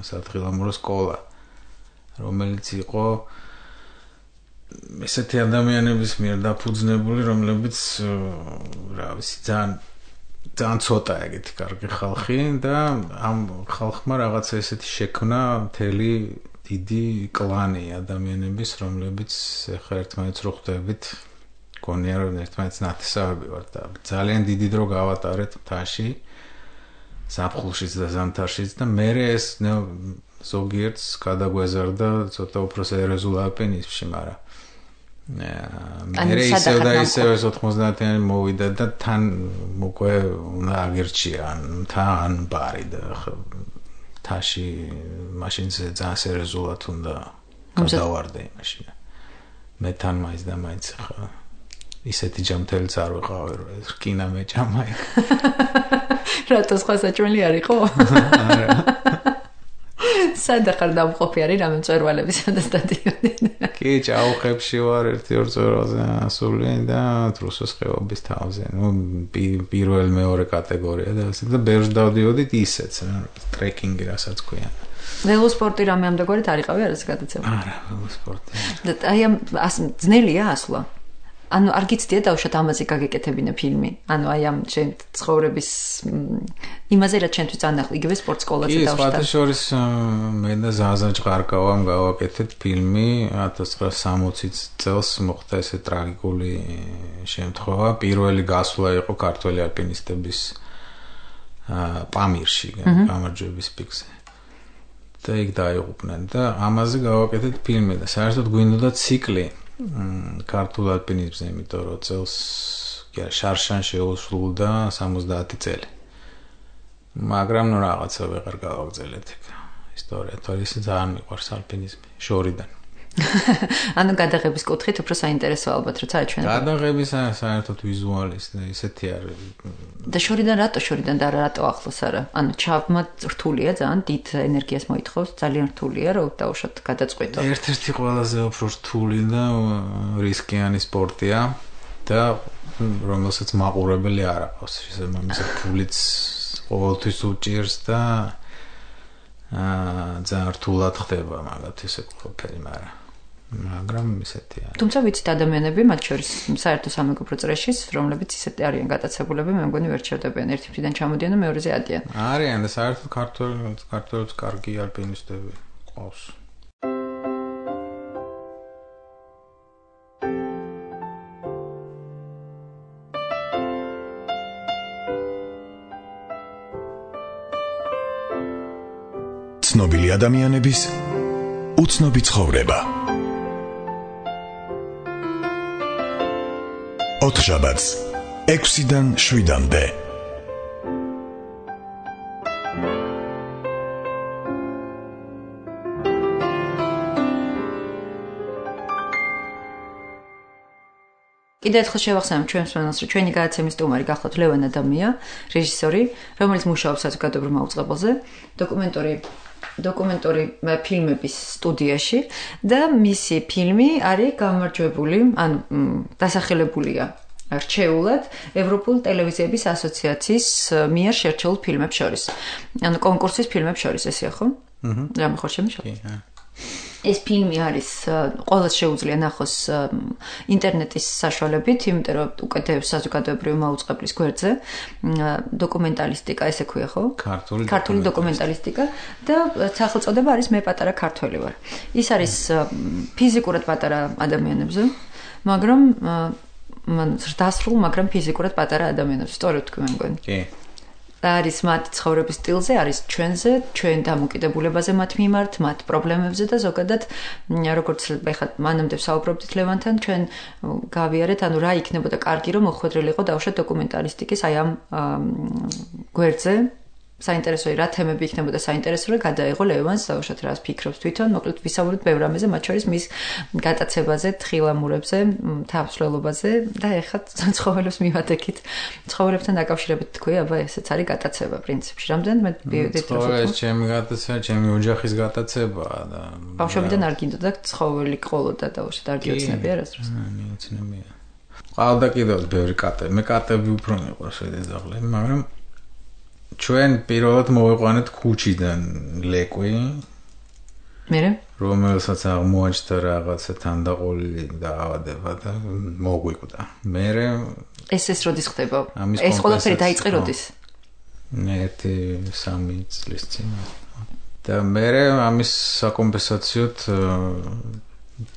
სათხილამურო სკოლა, რომელიც იყო ესეთი ადამიანების მიერ დაფუძნებული, რომლებიც რა ვიცი ძალიან ცოტა ეგეთი კარგი ხალხი და ამ ხალხმა რაღაცა ესეთი შექმნა მთელი დიდი კლანი ადამიანების, რომლებიც ახლა ერთმანეთს რო ხვდებით, გონია რომ ერთმანეთს ნათესავები ვართ და ძალიან დიდი დრო გავატარეთ მთაში, ზაფხულშიც და ზამთარშიც და მერე ეს ზოგიერთს გადაგვეზარდა ცოტა უფრო სერიოზულ ალპინიზმში, მაგრამ მერე ისევ და ისევ 90-იანი მოვიდა და თან უკვე უნდა აგერჩია თან ბარი და თაში მაშინ ძალიან სერიოზულად უნდა გადავარდე მაშინ მე თან მაინც და მაინც ხა ისეთი ჯამთელიც არ ვიყავი რომ ეს რკინა მეჭამა რატო სხვა საჭმელი არ იყო? არა სად ახარ დამყოფი არის რამე მწვერვალები სადაც დადიოდნენ? კი, ჭაუხებში ვარ 1-2 წვერვალზე ასული და რუსოს ხეობის თავზე. პირველ მეორე კატეგორია და ასე და ბევრს დავდიოდით ისეც, ტრეკინგი რასაც ქვია. ველოსპორტი რამე ამდაგორით არ იყავი არასე გადაცემა? არა, ველოსპორტი. და აი ამ ძნელია ასვლა? ანუ არ გიცდია დავუშვათ ამაზე გაგეკეთებინა φιλმი. ანუ აი ამ შენ ცხოვრების იმაზე რაც ჩვენთვის წანახლა იგივე სპორტ სკოლაზე დავუშვათ. კი, სხვათა შორის მე და ზაზა ჭყარკავამ გავაკეთეთ ფილმი 1960 წელს მოხდა ესე ტრაგიკული შემთხვევა. პირველი გასვლა იყო ქართველი ალპინისტების პამირში, გამარჯვების პიკზე. და იქ დაიღუპნენ და ამაზე გავაკეთეთ ფილმი და საერთოდ გვინდოდა ციკლი ქართულ ალპინიზმზე, იმიტომ რომ წელს შარშან შეუსრულდა 70 წელი. მაგრამ ნუ რაღაცა ვეღარ გავაგრძელეთ ეგ ისტორია, თორე ძალიან მიყვარს ალპინიზმი შორიდან. ანუ გადაღების კუთხით უფრო საინტერესო ალბათ როცა აჩვენება. გადაღების საერთოდ ვიზუალის და ისეთი არის. და შორიდან და რატო ახლოს არა? ანუ ჩაბმა რთულია ძალიან, დიდ ენერგიას მოითხოვს, ძალიან რთულია რომ დავუშვათ გადაწყვეტო. ერთ-ერთი ყველაზე უფრო რთული და რისკიანი სპორტია და რომელსაც მაყურებელი არ აქვს. შესაბამისად ფულიც ყოველთვის უჭირს და ძალიან რთულად ხდება მაგათ ესე ყოფილი, მაგრამ ისეთი არის. თუმცა ვიცით ადამიანები, მათ შორის საერთო სამეგობრო წრეშიც, რომლებიც ისეთი არიან გატაცებულები, მე მგონი ვერ ჩავდებიან, ერთი ფრიდან ჩამოდიან და მეორეზე ადიან. არიან და საერთოდ ქართველებს კარგი ალპინისტები ყავს. ცნობილი ადამიანების უცნობი ცხოვრება. ოთხშაბათს 6-დან 7-მდე. კიდევ ერთხელ შევახსენებ ჩვენს მანას, რომ ჩვენი გადაცემის სტუმარი გახლავთ ლევან ადამია, რეჟისორი, რომელიც მუშაობს საზოგადოებრივ მაუწყებელზე, დოკუმენტური ფილმების სტუდიაში და მისი ფილმი არის გამარჯვებული, ან დასახელებულია რჩეულად ევროპულ ტელევიზიების ასოციაციის მიერ შერჩეულ ფილმებს შორის. ანუ კონკურსის ფილმებს შორის ესეა ხო? რამე ხარ შემიშალა? ეს ფილმი არის ყოველს შეუძლია ნახოს ინტერნეტის საშუალებით, იმიტომ რომ უკეთებს საზოგადოებრივი მაუწყებლის გვერდზე დოკუმენტალისტიკა, ესე ქვია ხო? ქართული დოკუმენტალისტიკა და სახელწოდება არის მე პატარა ქართველი ვარ. ის არის ფიზიკურად პატარა ადამიანებზე, მაგრამ დასრულ, მაგრამ ფიზიკურად პატარა ადამიანებს, სწორედ თქვი მე მგონი. კი. არის მათ ცხოვრების სტილზე, არის ჩვენზე, ჩვენ დამოკიდებულებაზე მათ მიმართ, მათ პრობლემებზე და ზოგადად როგორც ეხლა მანამდე ვსაუბრობდით ლევანთან, ჩვენ გავიარეთ, ანუ რა იქნებოდა კარგი, რომ მოხვედრილიყო დავუშვათ დოკუმენტალისტიკის აი ამ გვერდზე. საინტერესო რა თემები იქნებოდა საინტერესო რა გადაიღო ლევანს დავუშვათ რას ფიქრობს თვითონ მოკლედ ვისაუბრეთ ბევრ რამეზე მათ შორის მის გატაცებაზე, თხილამურებზე, თავსვლელობაზე და ეხლა ცხოველებს მივადექით. ცხოველებთან დაკავშირებით თქვი, აბა ესეც არის გატაცება პრინციპში. რამდენად მე ვიდით რომ ცხოველს ჩემი გატაცება, ჩემი ოჯახის გატაცებაა და ბავშვობიდან არ გინდოდა ცხოველი ყოლოდა დავუშვათ არ გიოცნები არასდროს. მიოცნებია. ყავდა კიდევ ბევრი კატები. მე კატები უფრო მიყვარს დედაღლები, მაგრამ ჩვენ პირველად მოვიყვანეთ ქუჩიდან ლეკვი. მერე? რომელსაც აღმოაჩნდა რაღაცა თანდაყოლილი დაავადება და მოგვიკვდა. მერე ეს როდის ხდება? ეს ყველაფერი დაიწყე როდის? 1-3 წლის წინ. და მერე ამის საკომპენსაციოდ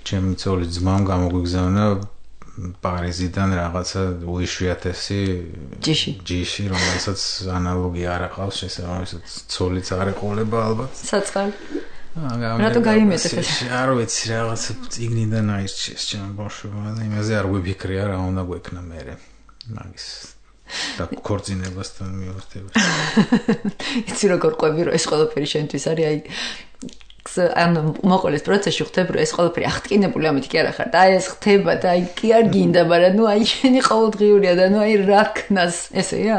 ჩემი ცოლის ძმამ გამოგვიგზავნა პარიზიდან რაღაცა უიშვიათესი ჯიში, რომელსაც ანალოგი არ აყავს, შესაბამისად ცოლიც არ ეყოლება ალბათ. საწყალ. რატო გაიმეტეთ ეს? არ ვიცი, რაღაცა წიგნიდან აირჩიეს ჩემ ბავშვობა და იმაზე არ გვიფიქრია რა უნდა გვექნა მერე. მაგის და ქორწინებასთან მიმართებაში. იცი როგორ ყვები რომ ეს ყველაფერი შენთვის არის აი ანუ მოყოლის პროცესში ხდება რომ ეს ყველაფერი აღტკინებული ამით კი არა ხარ და აი ეს ხდება და აი კი არ გინდა მაგრამ ნუ აი შენი ყოველდღიურია და ნუ აი რა ქნას ესეა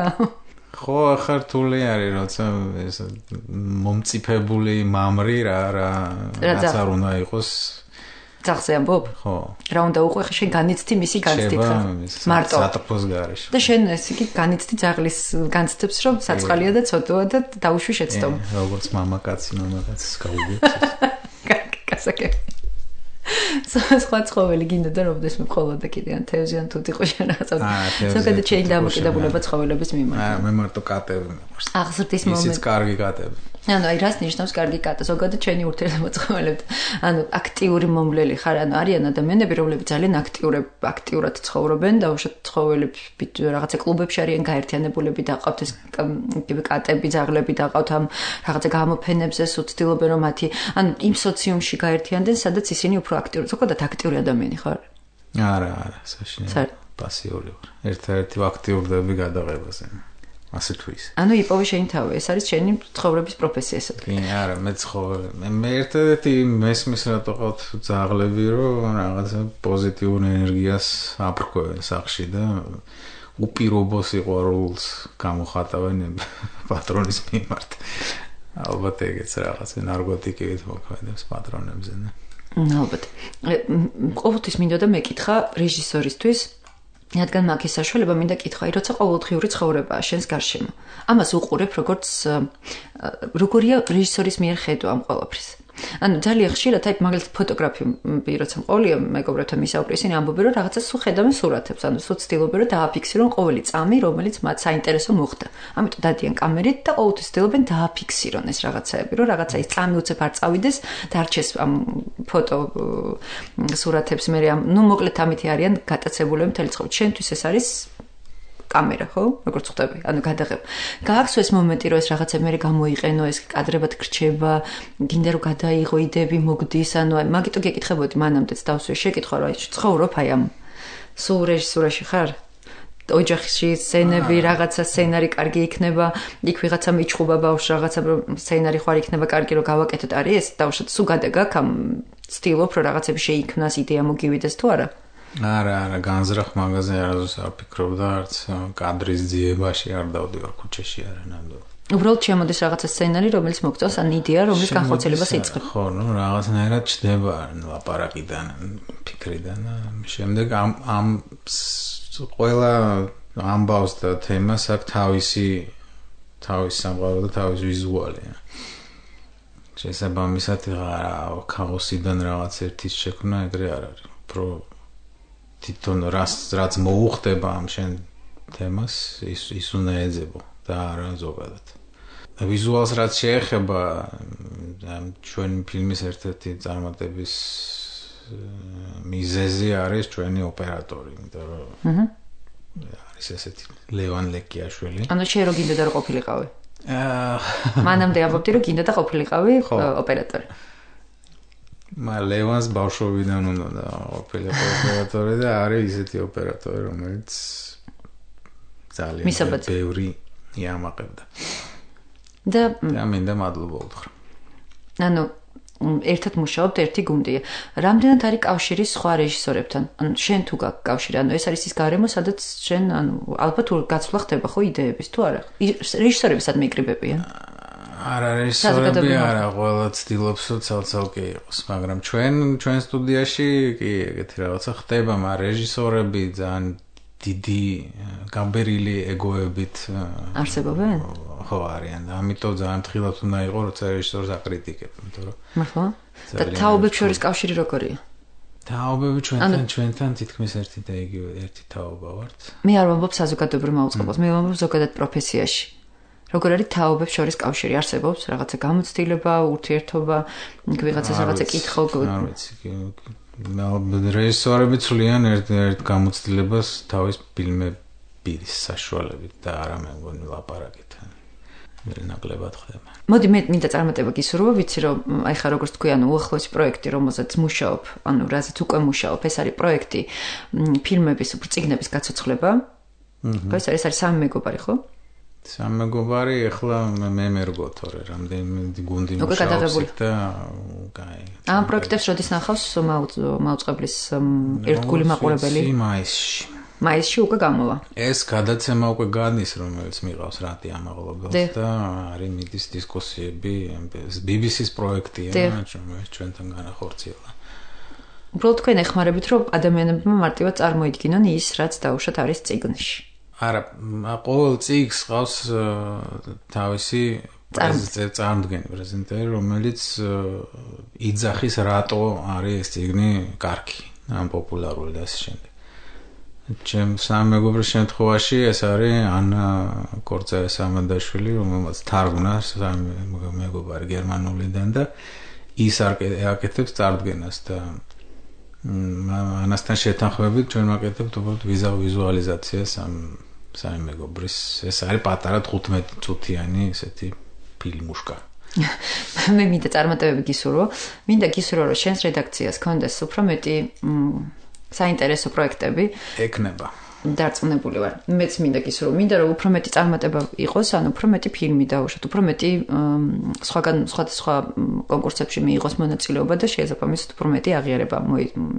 ხო ახლა რთული არის როცა ეს მომწიფებული მამრი რაც არ უნდა იყოს ძახზე ამბობ? ხო. რა უნდა უყო ხე შენ განიცდი მისი განცდით ხარ? მარტო. სატოფოს გარეშე. და შენ ეს იგი განიცდი ძაღლის განცდებს რომ საწყალია და ცოტოა და დაუშვი შეცდომ. როგორც მამაკაცის გაუგებს. კასაკე. სხვა ცხოველი გინდა და როდეს მე ყოლოდა კიდე ან თევზი ან თუთი ხო შენ რაღაცა. ზოგადად შენ დამოკიდებულება ცხოველების მიმართ. მე მარტო კატები მიყვარს. აღზრდის მომენტი. ისიც კარგი კატები. ანუ აი რას ნიშნავს კარგი კატა? ზოგადად ჩვენი ურთიერთობა ცხოველებთან. ანუ აქტიური მომვლელი ხარ, ანუ არიან ადამიანები, რომლებიც ძალიან აქტიურად ცხოვრობენ და უშოთ ცხოველებს რაღაცა კლუბებში არიან გაერთიანებულები და ყავთ ეს კატები, ძაღლები და ყავთ ამ რაღაცა გამოფენებზე სუცდილობენ რომ მათი ანუ იმ სოციუმში გაერთიანდნენ, სადაც ისინი უფრო აქტიური, ზოგადად აქტიური ადამიანი ხარ? არა, საშინელი. პასიური ვარ. ერთ-ერთი აქტიურდები გადაღებაზე. ასე თუ ის. ანუ იპოვე შენი თავი, ეს არის შენი ცხოვრების პროფესია ესე თქვი. კი, არა, მე ცხოვრობ. მე ერთ-ერთი მესმის რატო ყავთ ძაღლები, რომ რაღაცა პოზიტიურ ენერგიას აპრკობენ სახში და უპირობო სიყვარულს გამოხატავენ პატრონის მიმართ. ალბათ ეგეც რაღაცა ნარკოტიკებით მოქმედებს პატრონებზე, ნე. ალბათ. ყოველთვის მინდოდა მეკითხა რეჟისორისთვის რადგან მაგის საშუალება მინდა კითხვა, აი როცა ყოველდღიური ცხოვრებაა შენს გარშემო. ამას უყურებ როგორია რეჟისორის მიერ ხედვა ამ ყველაფრის. ანუ ძალიან ხშირად აი მაგალითად ფოტოგრაფები როცა მყოლია მეგობრებთან მისაუბრე, ისინი ამბობენ რომ რაღაცა სულ ხედავენ სურათებს, ანუ სულ ცდილობენ რომ დააფიქსირონ ყოველი წამი, რომელიც მათ საინტერესო მოხდა. ამიტომ დადიან კამერით და ყოველთვის ცდილობენ დააფიქსირონ ეს რაღაცაები, რომ რაღაცა ის წამი უცებ არ წავიდეს და არჩეს ამ ფოტო სურათებს მე ნუ მოკლედ ამითი არიან გატაცებულები მთელი ცხოვრება. შენთვის ეს არის კამერა, ხო? როგორც ხვდები, ანუ გადაღება. გააქვს ეს მომენტი, რომ ეს რაღაცა მე გამოიყენო, ეს კადრებად გრჩება, გინდა რომ გადაიღო იდეები მოგდის, ანუ მაგიტო გეკითხებოდი მანამდეც დავსვე შეკითხვა, რომ აი ცხოვრობ აი ამ სულ რეჟისურაში ხარ? ოჯახში სცენები, რაღაცა სცენარი კარგი იქნება, იქ ვიღაცა მიჩხუბა ბავშვს, რაღაცა სცენარი ხარ იქნება კარგი რომ გავაკეთოთ, არის ეს? დავუშვათ, სულ გადაგაქ ამ ცდილობ რომ რაღაცები შეიქმნას, იდეა მოგივიდეს თუ არა? არა, განზრახ მაღაზია არასდროს არ ფიქრობდა, არც კადრის ძიებაში არ დავდივარ ქუჩაში არა ნამდვილად. უბრალოდ შემოდის რაღაცა სცენარი, რომელიც მოგწონს, ან იდეა, რომლის განხორციელებას იწყებ. ხო, რაღაცნაირად ჩდება ლაპარაკიდან, ფიქრიდან. შემდეგ ამ ყველა ამბავს და თემას აქვს თავისი სამყარო და თავისი ვიზუალი. შესაბამისად, ქაოსიდან რაღაც ერთის შექმნა ეგრე არ არის. უფრო თვითონ რაც მოუხდება ამ შენ თემას, ის უნდა ეძებო და არა ზოგადად. ვიზუალს რაც შეეხება ჩვენი ფილმის ერთ-ერთი წარმატების მიზეზი არის ჩვენი ოპერატორი, იმიტომ რომ არის ესეთი ლევან ლეკიაშვილი. ანუ შენ რო გინდა და ყოფილიყავი? მანამდე ამბობდი რომ გინდა და ყოფილიყავი ოპერატორი. ლევანს ბავშვობიდან უნდა ყოფილიყო ოპერატორი და არის ისეთი ოპერატორი, რომელიც ძალიან ბევრი იამაყებდა. და მინდა მადლობა უთხრა. ანუ ერთად მუშაობთ, ერთი გუნდია. რამდენად არის კავშირი სხვა რეჟისორებთან? ანუ შენ თუ გაქვს კავშირი, ანუ ეს არის ის გარემო, სადაც შენ ალბათ გაცვლა ხდება ხო იდეების თუ არა? რეჟისორები სადმე იკრიბებიან? არა, რეჟისორები არა, ყველა ცდილობს რომ ცალ-ცალკე იყოს, მაგრამ ჩვენ სტუდიაში კი ეგეთი რაღაცა ხდება, მაგრამ რეჟისორები ძალიან დიდი გამბერილი ეგოებით არსებობენ? ხო არიან და ამიტომ ძალიან ფრთხილად უნდა იყო როცა რეჟისორს აკრიტიკებ, იმიტომ რომ მართლა? და თაობებს შორის კავშირი როგორია? თაობები ჩვენთან თითქმის ერთი და იგივე ერთი თაობა ვართ. მე არ ვამბობ საზოგადოებრივ მაუწყებლობას, მე ვამბობ ზოგადად პროფესიაში. როგორ არის თაობებს შორის კავშირი? არსებობს რაღაცა გამოცდილება, ურთიერთობა, ვიღაცას რაღაცა კითხო? არ ვიცი. რეჟისორები ცვლიან ერთ გამოცდილებას თავის ფილმების საშუალებით და არა მე მგონი ლაპარაკით. ნაკლებად ხდება. მოდი მე მინდა წარმატება გისურვო, ვიცი რომ აი ხა როგორც თქვი, ანუ უახლოესი პროექტი, რომელზეც მუშაობ, ანუ რაზეც უკვე მუშაობ, ეს არის პროექტი ფილმების წიგნების გაცოცხლება. ხო, ეს არის სამი მეგობარი, ხო? სამი მეგობარი, ეხლა მე მერგო თორე, რამდენი გუნდი მუშაობს და კაი. ამ პროექტებს როდის ნახავს მაუწყებლის ერთგული მაყურებელი? მაისში უკვე გამოვა. ეს გადაცემა უკვე გადის, რომელიც მიყავს რატი ამაღლობელს და არის მიდის დისკუსიები, BBC-ს პროექტია, ჩვენთან განახორციელა. უბრალოდ თქვენ ეხმარებით, რომ ადამიანებმა მარტივად წარმოიდგინონ ის, რაც დაუშვათ არის წიგნში. არა, ყოველ წიგნს ყავს თავისი წარმოდგენი პრეზენტერი, რომელიც იძახის რატო არის ეს წიგნი კარგი, ან პოპულარული და ასე შემდეგ. ჩემ სამ მეგობრის შემთხვევაში ეს არის ანა კორწე-სამადაშვილი, რომელმაც თარგმნა სამი მეგობარი გერმანულიდან და ის აკეთებს წარდგენას და ანასთან შეთანხმებით ჩვენ ვაკეთებთ უბრალოდ ვიზუალიზაციას სამი მეგობრის. ეს არის პატარა 15 წუთიანი ესეთი ფილმუშკა. მე მინდა წარმატებები გისურვო. მინდა გისურვო რომ შენს რედაქციას კონდეს უფრო მეტი საინტერესო პროექტები ეკნება. დარწმუნებული ვარ. მეც მინდა გისურვო, მინდა რომ უფრო მეტი წარმატება იყოს, ანუ უფრო მეტი ფილმი დაუშვათ, უფრო მეტი სხვა კონკურსებში მიიღოს მონაწილეობა და შესაბამისად უფრო მეტი აღიარება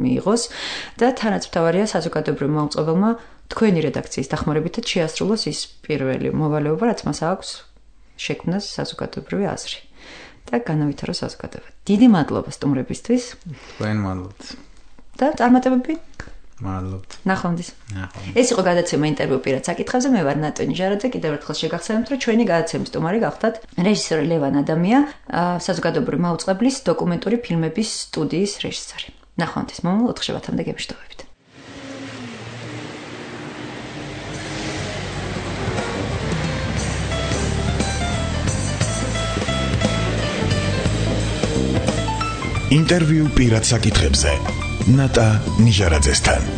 მიიღოს და თანაც მთავარია საზოგადოებრივ მაუწყებელმა თქვენი რედაქციის დახმარებითაც შეასრულოს ის პირველი მოვალეობა, რაც მას აქვს შექმნას საზოგადოებრივი აზრი და განავითაროს საზოგადოება. დიდი მადლობა სტუმრებისთვის. თქვენ მადლობთ. და წარმატებები. მადლობთ. ნახვამდის. ეს იყო გადაცემა ინტერვიუ პირად საკითხებზე. მე ვარ ნატონი ჟარაძე. კიდევ ერთხელ შეგახსენებთ, რომ ჩვენი გადაცემის სტუმარი გახდათ რეჟისორი ლევან ადამია, საზოგადოებრივი მაუწყებლის დოკუმენტური ფილმების სტუდიის რეჟისორი. ნახვამდის. მომავალ 4 შაბათამდე გემშვიდობებით. ინტერვიუ პირად საკითხებზე ნატა ნიჟარაძესთან.